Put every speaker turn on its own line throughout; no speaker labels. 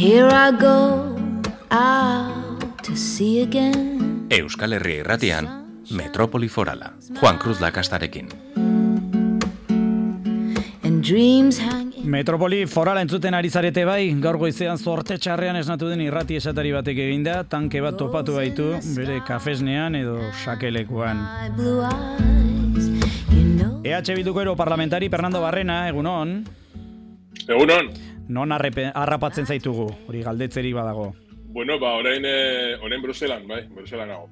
Here I go out to sea again.
Euskal Herria Irratian, Metropoli Forala, Juan Cruz Lakastarekin.
And dreams hang in...
Metropoli Forala entzuten ari zarete bai, gaur goizean zorte txarrean esnatu den irrati esatari batek eginda, tanke bat topatu baitu, bere kafesnean edo sakelekuan.
My blue eyes, you know...
EH Bilduko europarlamentari Fernando Barrena, egunon?
Egunon.
Non harrapatzen zaitugu, hori galdetzeri badago.
Bueno, orain Bruselan, bai, Bruselan nago.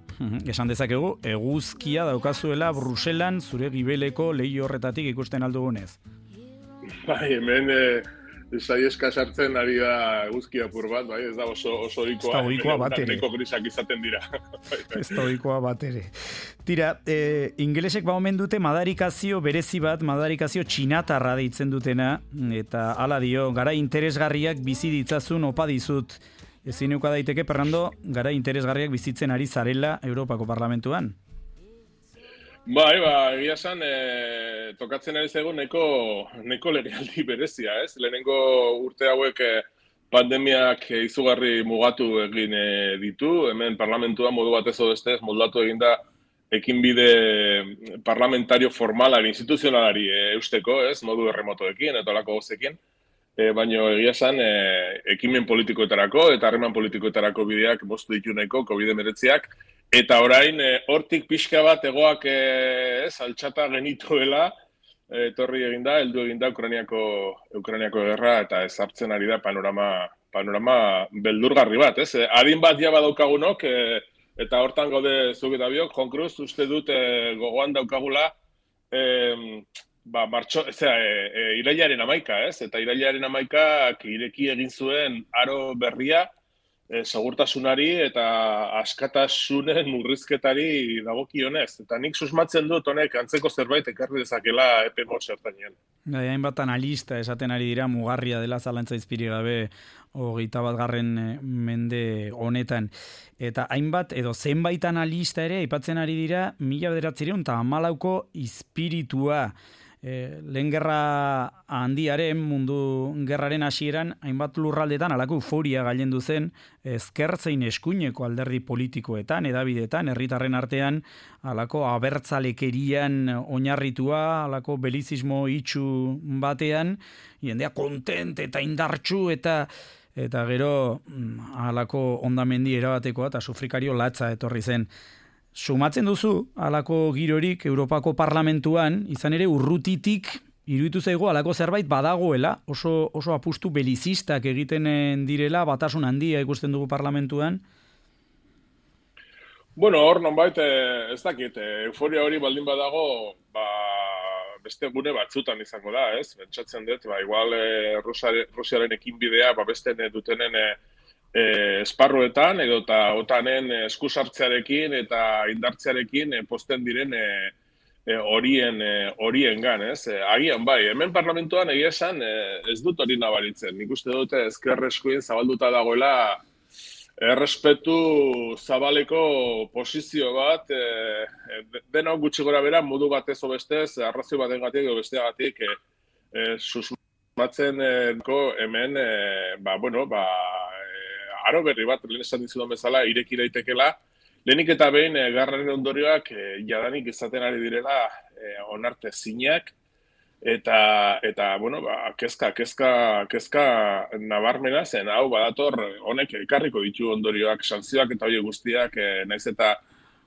Esan dezakegu, eguzkia daukazuela Bruselan zure gibeleko lehi horretatik ikusten aldugunez.
Bai, hemen saieska sartzen ari da eguzkia apur bat, bai, ez da oso ohikoa.
Ez da ohikoa bat ere.
Neko grisak izaten dira.
Ez da ohikoa bat ere. Tira, ingelesek omen dute madarikazio berezi bat, madarikazio txinatarra deitzen dutena, eta hala dio, gara interesgarriak bizi ditzazun opa dizut. Ezin uka daiteke, Fernando, gara interesgarriak bizitzen ari zarela Europako Parlamentuan?
Bai, egia esan, tokatzen ari zaigu neko legealdi berezia, ez? Lehenengo urte hauek pandemiak izugarri mugatu egin ditu, hemen parlamentua modu batez edo bestez moldatu eginda ekinbide parlamentario formalari, instituzionalari eusteko, ez? Modu erremotoekin eta olako gozekin. Baina egia esan, ekimen politikoetarako eta harreman politikoetarako bideak moztu ditu nahiko COVID-19ak, eta orain hortik pixka bat egoak altxata genituela, etorri eginda, heldu eginda Ukrainiako gerra eta ezartzen ari da panorama beldurgarri bat, ez? Adin bat ja badaukagunok, eta hortan gaude zuk eta biok, Juan Cruz, uste dut gogoan daukagula, irailaren 11, ez? Eta irailaren 11 ireki egin zuen aro berria segurtasunari eta askatasunen murrizketari dagokionez. Eta nik susmatzen dut honek antzeko zerbait ekarri dezakela epe motz hartanean.
Hainbat analista esaten ari dira mugarria dela zalantza izpiri gabe 21. Mende honetan. Eta hainbat edo zenbait analista ere aipatzen ari dira 1914ko izpiritua. Lehen gerra handiaren, mundu gerraren hasieran, hainbat lurraldetan halako euforia gailendu zen ezkertzein eskuineko alderdi politikoetan, edabidetan, herritarren artean, halako abertzalekerian oinarritua, halako belizismo itxu batean, jendea kontent eta indartsu eta gero halako hondamendi erabatekoa eta sufrikario latza etorri zen. Sumatzen duzu, halako girorik Europako Parlamentuan, izan ere urrutitik iruditu zaigu halako zerbait badagoela, oso apustu belizistak egiten direla, batasun handia ikusten dugu Parlamentuan?
Bueno, hor nonbait, ez dakit, euforia hori baldin badago, beste gune batzutan izango da, ez? Pentsatzen dut, igual Rusiaren ekinbidea, besten dutenen esparruetan edo eta OTANen eskusartzearekin eta indartzearekin posten diren horiengan, ez? Agian bai, hemen parlamentuan egia esan ez dut hori nabaritzen. Nik uste dute ezker eskuin zabalduta dagoela errespetu zabaleko posizio bat, denok gutxi gora bera modu batez o bestez, arrazio batengatik edo besteagatik susmatzen hemen, aro berri bat, lehen esan dizudan bezala, ireki daitekela, lehenik eta behin garraren ondorioak jadanik izaten ari direla onartezinak, eta kezka nabarmena zen, hau badator honek ekarriko ditu ondorioak, sanzioak eta hori guztiak, naiz eta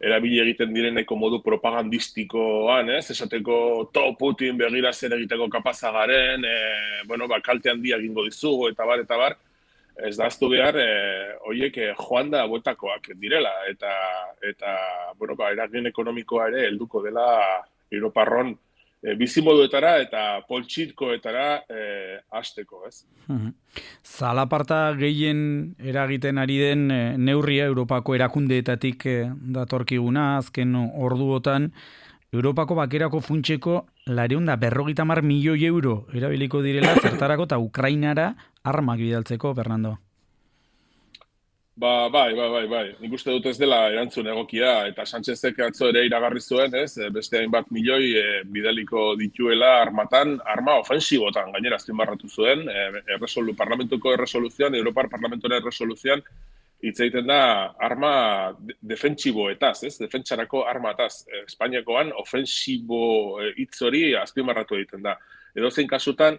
erabili egiten direneko modu propagandistikoan, ez? Esateko Putin begira zer egiteko kapazagaren, kalte handia egingo dizugu, eta bar, ez da aztu behar, horiek joan da bueltakoak direla, eta eragin ekonomikoa ere helduko dela Europarron bizimoduetara eta poltsikoetara hasteko, ez?
Zalaparta gehien eragiten ari den neurria Europako erakundeetatik datorkiguna, azken orduotan, Europako bakerako funtseko 250 milioi euro erabiliko direla zertarako eta Ukrainara armak bidaltzeko, Fernando.
Bai. Nik uste dut ez dela erantzun egokia, eta Sánchezek atzo ere iragarri zuen, ez? Beste hainbat milioi bidaliko dituela arma ofensibotan, gainera azpimarratu zuen, parlamentuko erresoluzioan, Europar parlamentoren erresoluzioan, hitz egiten da arma defentsiboetaz, ez? Defentsarako armataz. Espainiakoan ofensibo hitz hori azpimarratu egiten da. Edozein kasutan,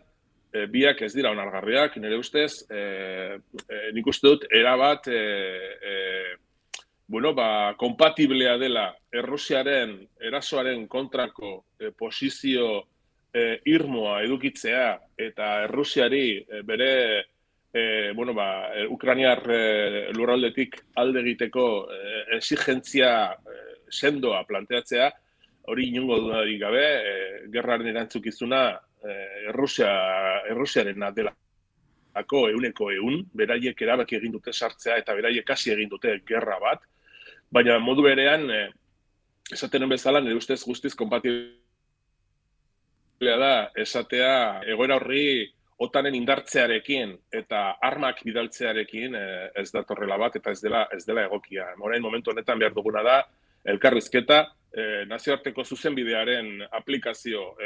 biak ez dira onargarriak, nire ustez, nik uste dut, erabat, kompatiblea dela Errusiaren erasoaren kontrako posizio irmoa edukitzea eta Errusiari bere Ukrainiar lurraldetik alde egiteko exigentzia sendoa planteatzea, hori inongo dudarik gabe, gerraren erantzukizuna Errusiaren delako 100%, beraiek erabaki egin dute sartzea eta beraiek hasi egin dute gerra bat, baina modu berean, esaten bezala, nire ustez guztiz kompatiblea da, esatea egoera horri OTANen indartzearekin eta armak bidaltzearekin ez datorrela bat eta ez dela egokia. Orain momentu honetan behar duguna da, elkarrizketa, nazioarteko zuzenbidearen aplikazio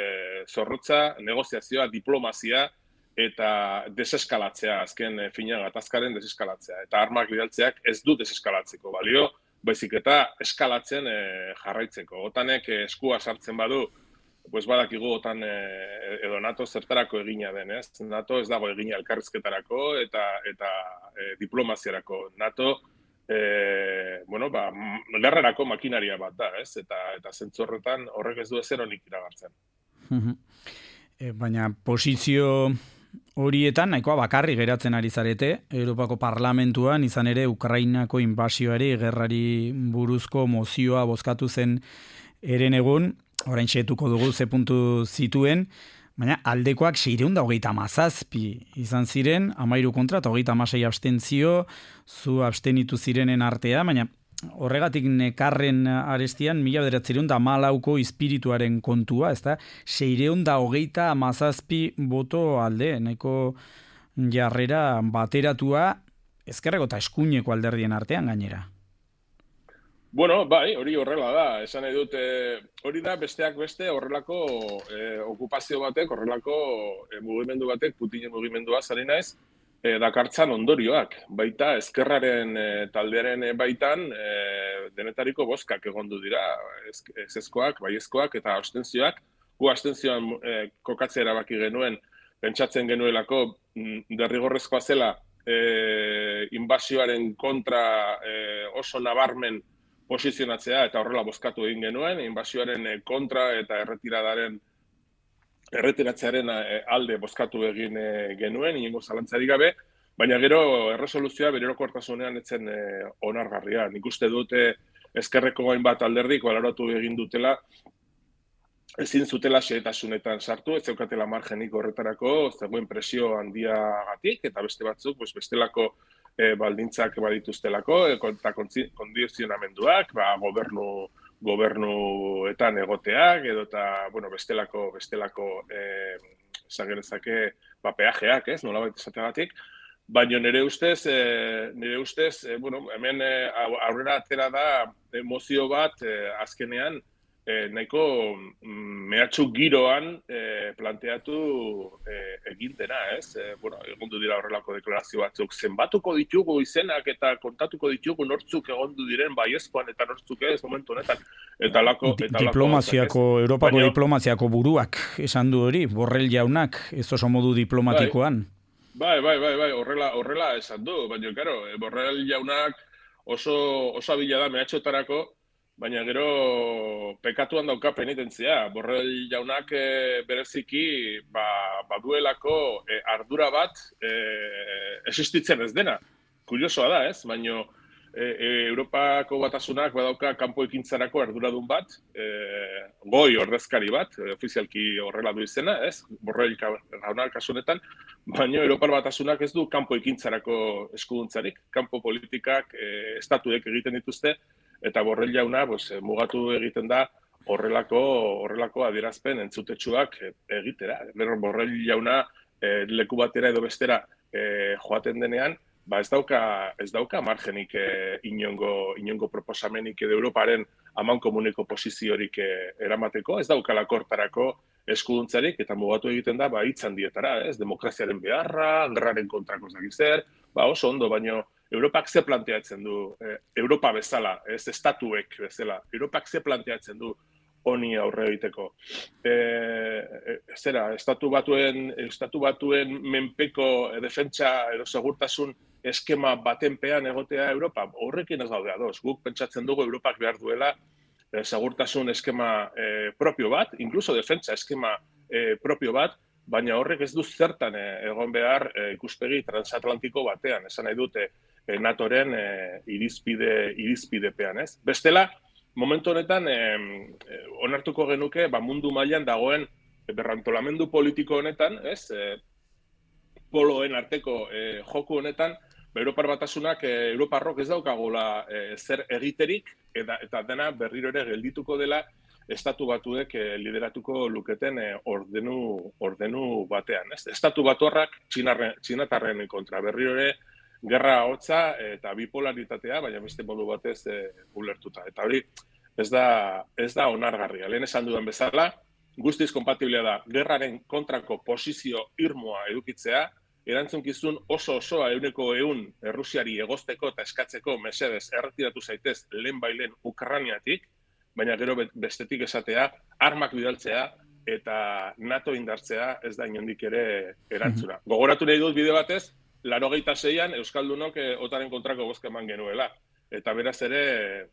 zorrotza, negoziazioa, diplomazia eta deseskalatzea, azken fina gatazkaren deseskalatzea. Eta armak bidaltzeak ez du deseskalatzeko balio, baizik eta eskalatzen jarraitzeko. OTANek eskua sartzen badu, pues badakigu OTAN edo NATO zertarako egina den, ez? NATO ez dago egina elkarrizketarako eta diplomaziarako. NATO gerrarako makinaria bat da, ez? Eta zentzu horretan horrek ez du ezer honik iragartzen.
Baina posizio horietan nahikoa bakarri geratzen ari zarete, Europako Parlamentuan izan ere Ukrainako inbasioari, gerrari buruzko mozioa bozkatu zen eren egun, orain xetuko dugu ze puntu zituen, baina aldekoak 627 izan ziren, 13 kontra eta 36 abstentzio, zu abstenitu zirenen artea, baina horregatik nekarren arestian 1914ko espirituaren kontua, ezta? 627 boto alde, nahiko jarrera bateratua ezkerreko eta eskuineko alderdien artean gainera.
Bueno, bai, hori horrela da. Esan nahi dut, hori da besteak beste horrelako okupazio batek, horrelako mugimendu batek, Putinen mugimendua zari naiz, dakartzan ondorioak. Baita ezkerraren taldearen baitan denetariko bozkak egondu dira, ezezkoak, baiezkoak eta abstentzioak. Gu abstentzioan kokatzea erabaki genuen, pentsatzen genuelako derrigorrezkoa zela inbasioaren kontra oso nabarmen posizionatzea eta horrela bozkatu egin genuen, inbasioaren kontra eta erretiratzearen alde bozkatu egin genuen, inongo zalantzarik gabe, baina gero erresoluzioa bere orokortasunean etzen onargarria. Nik uste dute ezkerreko hainbat alderdik baloratu egin dutela, ezin zutela xehetasunetan sartu, ez zeukatela margenik horretarako, zegoen presio handiagatik, eta beste batzuk, bestelako baldintzak badituztelako, eta kondizionamenduak, gobernuetan egoteak, edo eta, bestelako zagerezake peajeak, ez, nolabait esateagatik, baina nire ustez, hemen aurrera atera da emozio bat azkenean, nahiko mehatxu giroan planteatu egin dena, ez? Egondu dira horrelako deklarazio batzuk. Zenbatuko ditugu izenak eta kontatuko ditugu nortzuk egondu diren baiezkoan eta nortzuk ez momentu honetan.
Diplomaziako, Europako diplomaziako buruak esan du hori, Borrell jaunak, ez oso modu diplomatikoan.
Bai, horrela esan du, baina, karo, Borrell jaunak oso abila da mehatxotarako, baina gero pekatuan dauka penitentzia. Borrell jaunak bereziki baduelako ardura bat existitzen ez dena. Kuriosoa da, ez? Baina Europako Batasunak badauka kanpo ekintzarako arduradun bat, goi ordezkari bat, ofizialki horrela du izena, ez? Borrell jaunak kasu honetan, baina Europar Batasunak ez du kanpo ekintzarako eskuduntzarik. Kanpo politikak estatuek egiten dituzte, eta Borrell jauna mugatu egiten da horrelako adierazpen entzutetsuak egitera. Borrell jauna leku batera edo bestera joaten denean, ez dauka margenik inongo proposamenik edo Europaren amankomuneko posiziorik eramateko, ez daukala kortarako eskuduntzarik, eta mugatu egiten da, hitz handietara, demokraziaren beharra, gerraren kontrako zer, oso ondo, baino Europak ze planteatzen du, Europa bezala, ez estatuek bezala, Europak ze planteatzen du honi aurre egiteko. Estatu batuen menpeko defentsa edo segurtasun eskema batenpean egotea Europa, horrekin ez gaude ados. Guk pentsatzen dugu Europak behar duela segurtasun eskema propio bat, incluso defentsa eskema propio bat, baina horrek ez du zertan egon behar ikuspegi transatlantiko batean, esan nahi dute NATOren irizpidepean, ez? Bestela, momentu honetan, onartuko genuke, mundu mailan dagoen berrantolamendu politiko honetan, ez? Poloen arteko joku honetan, Europar Batasunak, Europarrok ez daukagula zer egiterik, eta dena berriro ere geldituko dela, estatu batuek lideratuko luketen ordenu batean, ez? Estatu batuarrak txinatarren kontra, berriro ere gerra hotza eta bipolaritatea, baina beste modu batez ulertuta. Eta hori ez da onargarria. Lehen esan dudan bezala, guztiz konpatiblea da gerraren kontrako posizio irmoa edukitzea, erantzunkizun oso-osoa 100% Errusiari egozteko eta eskatzeko mesedez erretiratu zaitez lehenbailen Ukrainiatik, baina gero bestetik esatea, armak bidaltzea eta NATO indartzea ez da inondik ere erantzuna. Gogoratu nahi dut bide batez, 86an Euskaldunok otaren kontrako bozka eman genuela. Eta beraz ere,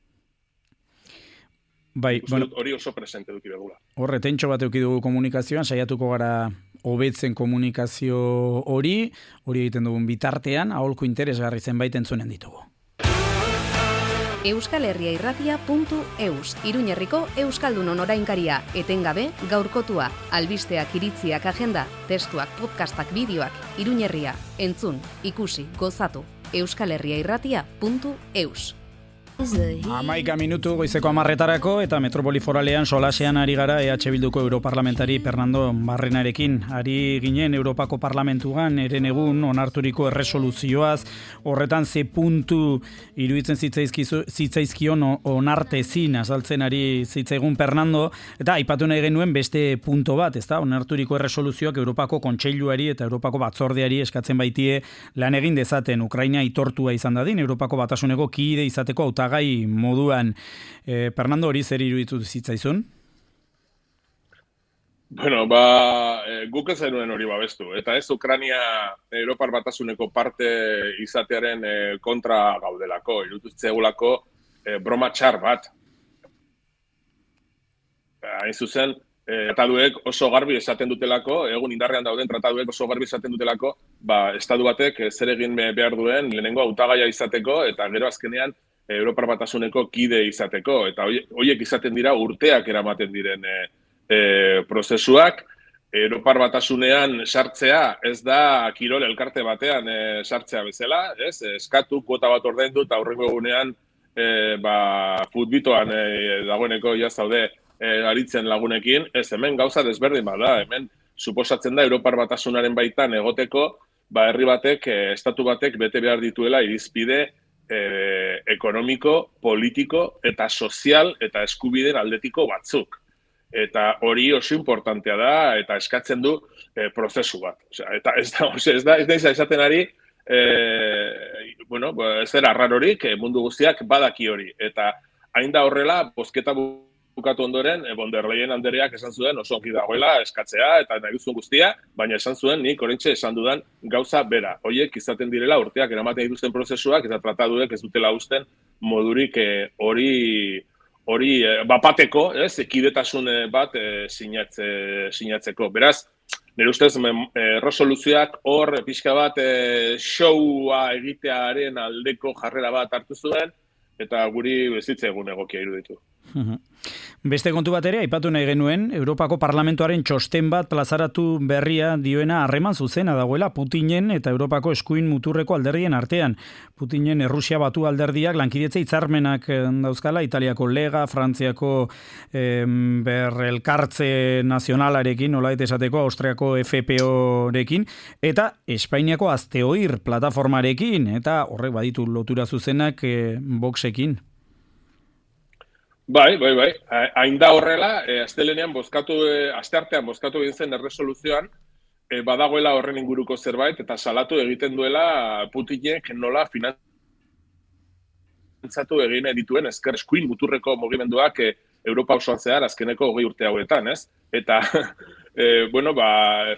hori oso presente duki begula.
Horre, tentxo bat eduki dugu komunikazioan, saiatuko gara hobetzen komunikazio hori egiten dugun bitartean, aholku interesgarri zenbait entzunen ditugu.
euskalherriairratia.eus, Iruñerriko Euskaldunon orainkaria, etengabe gaurkotua, albisteak, iritziak, agenda, testuak, podcastak, bideoak, Iruñerria, entzun, ikusi, gozatu, euskalherriairratia.eus.
11 minutu goizeko 10:00 eta Metropoli Foralean solasean ari gara EH Bilduko europarlamentari Fernando Barrenarekin. Ari ginen Europako Parlamentuan eren egun onarturiko erresoluzioaz, horretan ze puntu iruditzen zitzaizkion onartezin azaltzen ari zitzaigun Fernando, eta aipatu nahi genuen beste punto bat, ezta? Onarturiko erresoluzioak Europako Kontseiluari eta Europako Batzordeari eskatzen baitie lan egin dezaten Ukraina aitortua izan dadin Europako Batasuneko kide izateko hautagai moduan. Fernando, hori zer iruditu zitzaizun?
Bueno, guk ez zenuen hori babestu. Eta ez Ukraina Europar Batasuneko parte izatearen kontra gaudelako. Iruditu zegoelako broma txar bat. Hain zuzen, trataduek oso garbi esaten dutelako, egun indarrean dauden trataduek oso garbi esaten dutelako, estatu batek zer egin behar duen lehenengo hautagaia izateko, eta gero azkenean Europar Batasuneko kide izateko, eta horiek izaten dira urteak eramaten diren prozesuak. Europar Batasunean sartzea ez da kirol elkarte batean sartzea bezala, ez? Eskatu, kuota bat ordaindu eta aurrengo egunean futbitoan dagoeneko jazaude aritzen lagunekin, ez hemen gauza desberdin bada, hemen suposatzen da Europar Batasunaren baitan egoteko, herri batek, estatu batek bete behar dituela irizpide ekonomiko, politiko eta sozial eta eskubideen aldetiko batzuk. Eta hori oso importantea da eta eskatzen du prozesu bat. Eta ez da esaten ari, ez dira arrarorik, mundu guztiak badaki hori. Eta hain da horrela, bozketa bukatu ondoren, von der Leyen andereak esan zuen oso ongi dagoela eskatzea eta nahi duzun guztia, baina esan zuen nik oraintxe esan dudan gauza bera. Horiek izaten direla urteak eramaten dituzten prozesuak eta trataduek ez dutela uzten modurik hori bapateko, ekidetasun bat sinatzeko. Beraz, nire ustez, erresoluzioak hor pixka bat showa egitearen aldeko jarrera bat hartu zuen, eta guri bezitza egun egokia iruditu.
Beste kontu bat ere, aipatu nahi genuen, Europako Parlamentoaren txosten bat plazaratu berria dioena harreman zuzena dagoela Putinen eta Europako eskuin muturreko alderdien artean. Putinen Errusia batu alderdiak lankidetza hitzarmenak dauzkala, Italiako Lega, Frantziako elkartze nazionalarekin, nolabait esateko, Austriako FPO-rekin, eta Espainiako Azteoir plataformarekin, eta horrek baditu lotura zuzenak Voxekin.
Bai. Hain da horrela, astelenean asteartean bozkatu egin zen erresoluzioan, badagoela horren inguruko zerbait, eta salatu egiten duela Putinek nola finantzatu egin dituen ezker eskuin muturreko mugimenduak Europa osoan zehar azkeneko 20 urte hauetan, ez? Eta,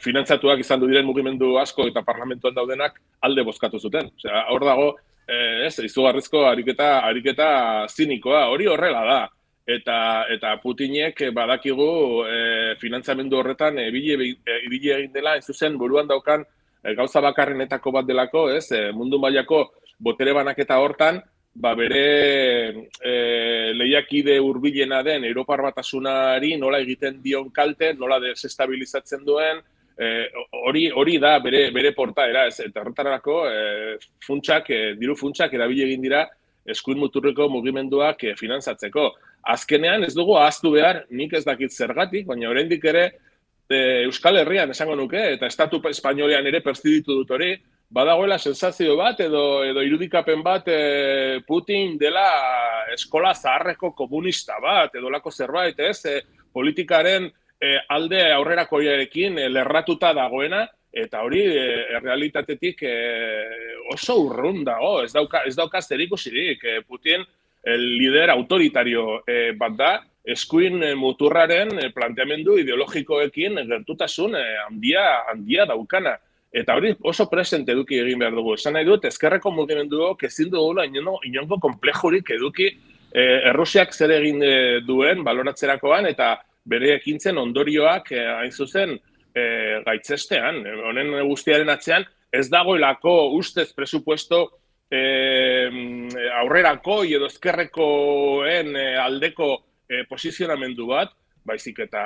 finantzatuak izan du diren mugimendu asko eta parlamentuan daudenak alde bozkatu zuten. Osea, hor dago, izugarrizko ariketa zinikoa, hori horrela da. Eta Putinek badakigu finantzamendu horretan ibili egin dela, ez zuzen buruan daukan gauza bakarrenetako bat delako, ez? Mundu mailako botere banaketa hortan, bere lehiakide hurbilena den Europar Batasunari nola egiten dion kalte, nola desestabilizatzen duen, hori da bere portaera, ez? Eta horretarako diru funtsak erabili egin dira eskuin muturreko mugimenduak finantzatzeko. Azkenean ez dugu ahaztu behar, nik ez dakit zergatik, baina oraindik ere Euskal Herrian esango nuke, eta estatu espainolean ere perzibitu dut hori, badagoela sensazio bat edo irudikapen bat Putin dela eskola zaharreko komunista bat, edo lako zerbait, ez? Politikaren alde aurrerakoiarekin lerratuta dagoena, eta hori errealitatetik oso urrun dago, ez dauka zerikusirik. Putin lider autoritario bat da, eskuin muturraren planteamendu ideologikoekin gertutasun handia daukana. Eta hori oso presente eduki egin behar dugu. Esan nahi dut, ezkerreko mugimenduok ezin dugula inongo komplejurik eduki Errusiak zer egin duen baloratzerakoan eta bere ekintzen ondorioak hain zuzen gaitzestean. Honen guztiaren atzean ez dagoelako ustez presupuesto aurrerako edo ezkerrekoen aldeko posizionamendu bat, baizik eta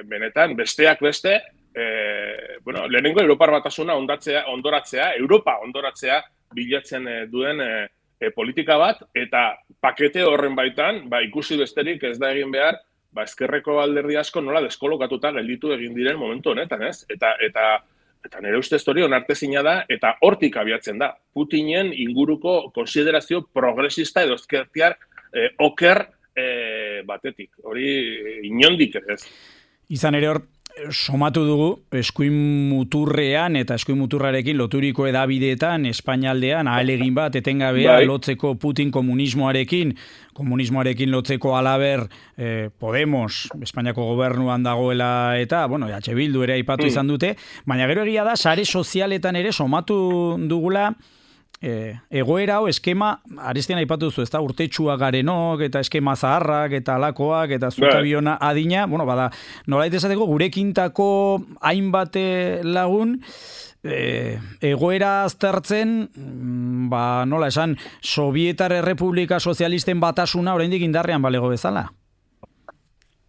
benetan besteak beste, lehenengo Europar Batasuna Europa ondoratzea bilatzen duen politika bat, eta pakete horren baitan, ikusi besterik ez da egin behar, ezkerreko alderdi asko nola deskolokatuta gelditu egin diren momentu honetan, ez? Eta nire ustez hori onartezina da, eta hortik abiatzen da. Putinen inguruko konsiderazio progresista edo ezkertiar oker batetik. Hori inondik ez.
Izan ere hor, somatu dugu, eskuin muturrean eta eskuin muturrarekin loturiko edabideetan, Espainialdean, ahalegin bat, etengabea, lotzeko Putin komunismoarekin lotzeko alaber Podemos, Espainiako gobernuan dagoela eta, EH Bildu ere aipatu izan dute, baina gero egia da, sare sozialetan ere somatu dugula, egoera hau eskema, arestian aipatu duzu, ez da, urtetxua garenok, eta eskema zaharrak, eta alakoak, eta zutabiona adina, nolait esateko, gurekintako hainbat lagun, egoera aztertzen, nola esan, Sobietar Errepublika Sozialisten batasuna oraindik indarrean balego bezala?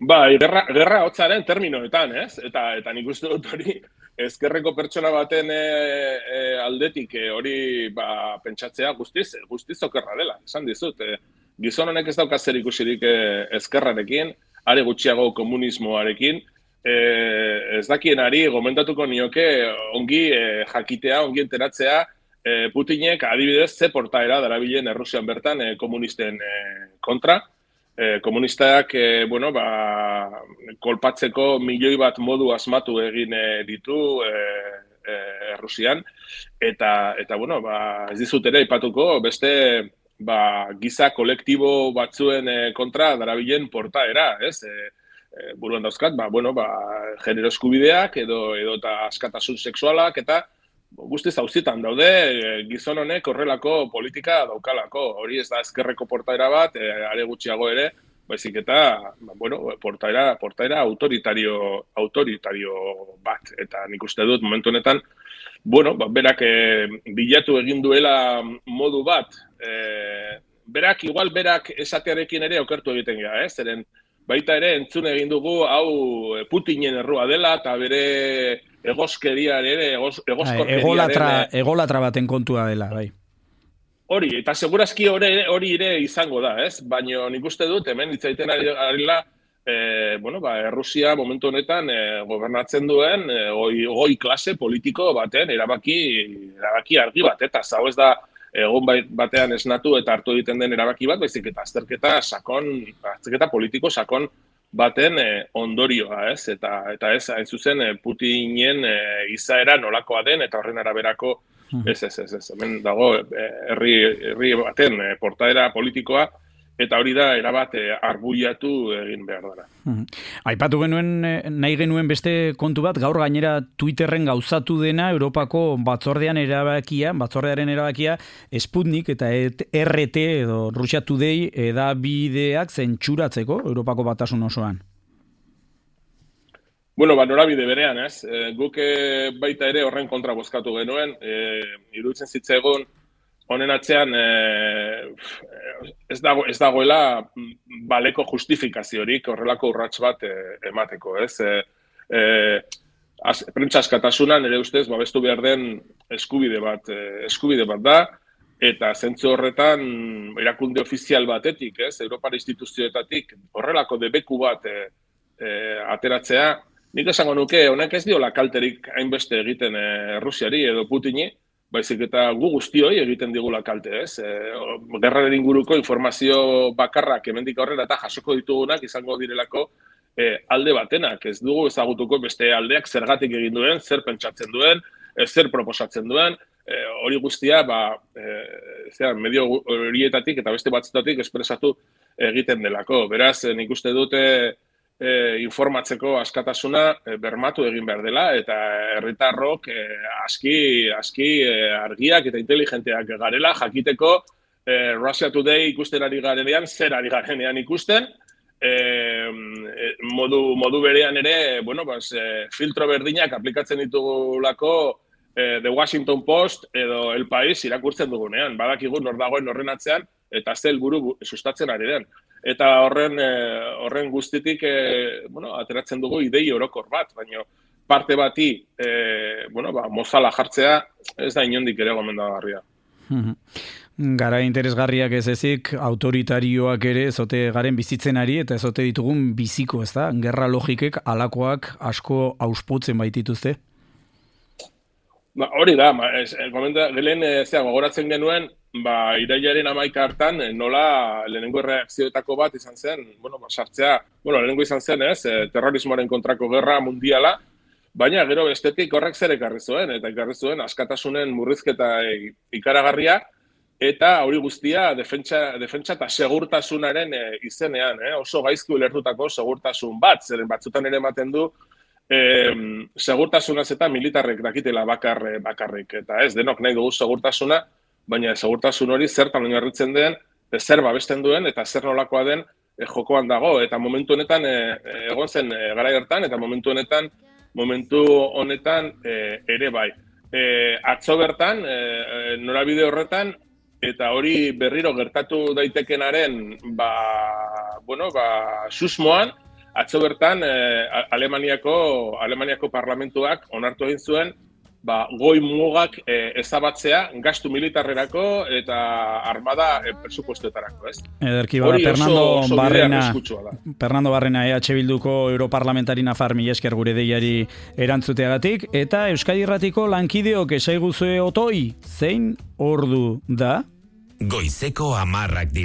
Gerra hotzaren terminoetan, ez? Eta nik uste dut hori, ezkerreko pertsona baten aldetik hori pentsatzea guztiz okerra dela, esan dizut. Gizon honek ez dauka zer ikusirik ezkerrarekin, are gutxiago komunismoarekin, ez dakienari gomendatuko nioke ongi jakitea, ongi enteratzea, Putinek adibidez ze portaera darabilen Errusian bertan komunisten kontra. Komunistak, kolpatzeko milioi bat modu asmatu egin ditu Errusian, eta ez dizut ere aipatuko beste giza kolektibo batzuen kontra darabilen portaera, ez? Buruan dauzkat, genero eskubideak edo eta askatasun sexualak eta guztiz auzitan daude, gizon honek horrelako politika daukalako. Hori ez da ezkerreko portaera bat, are gutxiago ere, baizik eta, portaera autoritario bat. Eta nik uste dut, momentu honetan, berak bilatu egin duela modu bat, berak esatearekin ere okertu egiten gara, zeren baita ere entzun egin dugu hau Putinen errua dela, eta bere egozkeriaren,
egolatra baten kontua dela, bai.
Hori, eta segurazki hori ere izango da, ez? Baina nik uste dut, hemen hitzaiten arila, Errusia momentu honetan gobernatzen duen goi klase politiko baten erabaki argi bat, eta hau ez da egon batean esnatu eta hartu egiten den erabaki bat, baizik eta azterketa politiko sakon baten ondorioa, ez? Eta ez, hain zuzen, Putinen izaera nolakoa den, eta horren araberako, ez, hemen dago herri baten portaera politikoa, eta hori da erabat arbuiatu egin behar dara.
Aipatu genuen, nahi genuen beste kontu bat, gaur gainera Twitterren gauzatu dena Europako batzordearen erabakia Sputnik eta RT edo Russia Today edabideak zentsuratzeko Europako batasun osoan.
Norabide berean, ez? Guk baita ere horren kontra bozkatu genuen, iruditzen zitzaigun honen atzean ez dagoela baleko justifikaziorik horrelako urrats bat emateko, ez? Prentsa askatasunan ere ustez babestu behar den eskubide bat da, eta zentzu horretan erakunde ofizial batetik, ez? Europar instituzioetatik horrelako debeku bat ateratzea, nik esango nuke honek ez diola kalterik hainbeste egiten Rusiari edo Putini, baizik eta gu guztioi egiten digula kalte, ez? Gerraren inguruko informazio bakarrak hemendik aurrera eta jasoko ditugunak izango direlako alde batenak. Ez dugu ezagutuko beste aldeak zergatik egin duen, zer pentsatzen duen, zer proposatzen duen, hori guztia medio horietatik eta beste batzutatik espresatu egiten delako. Beraz, nik uste dute informatzeko askatasuna bermatu egin behar dela, eta herritarrok aski argiak eta inteligenteak garela, jakiteko Russia Today ikusten ari garenean, zer ari garenean ikusten, modu berean ere, filtro berdinak aplikatzen ditugulako The Washington Post edo El País irakurtzen dugunean, badakigu nor dagoen horren atzean, eta ze helburu sustatzen ari den. Eta horren guztitik ateratzen dugu idei orokor bat, baina parte bati mozala jartzea ez da inondik ere gomendagarria.
Gara interesgarriak ez ezik, autoritarioak ere ezote garen bizitzen ari eta ezote ditugun biziko, ez da? Gerra logikek alakoak asko auspotzen baitituzte?
Hori da, gelen gogoratzen genuen, irailaren 11 hartan nola lehenengo reakzioetako bat izan zen, sartzea, lehenengo izan zen, terrorismoaren kontrako gerra mundiala, baina gero bestetik horrek zer ekarri zuen, eta ekarri zuen askatasunen murrizketa ikaragarria, eta hori guztia defentsa eta segurtasunaren izenean, oso gaizki ulertutako segurtasun bat, zeren batzutan ere ematen du, segurtasunaz eta militarrek dakitela bakarrik, eta ez denok nahi dugu segurtasuna, baina segurtasun hori zertan oinarritzen den, zer babesten duen, eta zer nolakoa den jokoan dago, eta momentu honetan egon zen garai hartan, eta momentu honetan ere bai. Atzo bertan, norabide horretan, eta hori berriro gertatu daitekenaren susmoan, atzo bertan Alemaniako parlamentuak onartu egin zuen goi mugak ezabatzea gastu militarrerako eta armada presupuestoetarako, ez?
Ederki bada, Fernando Barrena EH Bilduko europarlamentari nafar, mila esker gure deiari erantzuteagatik, eta Euskadi Irratiko lankideok esaiguzue otoi, zein ordu da?
Goizeko 10 dira.